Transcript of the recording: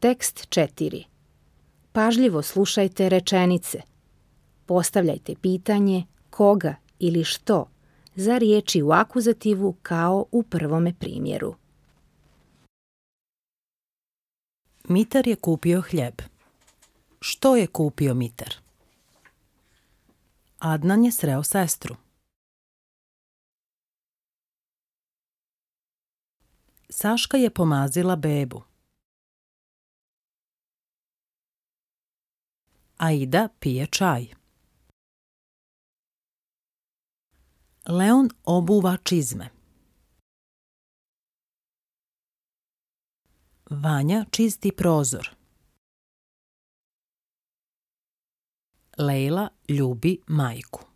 Tekst 4. Pažljivo slušajte rečenice. Postavljajte pitanje koga ili što za riječi u akuzativu kao u prvome primjeru. Mitar je kupio hljeb. Što je kupio Mitar? Adnan je sreo sestru. Saška je pomazila bebu. Aida pije čaj. Leon obuva čizme. Vanja čisti prozor. Lejla ljubi majku.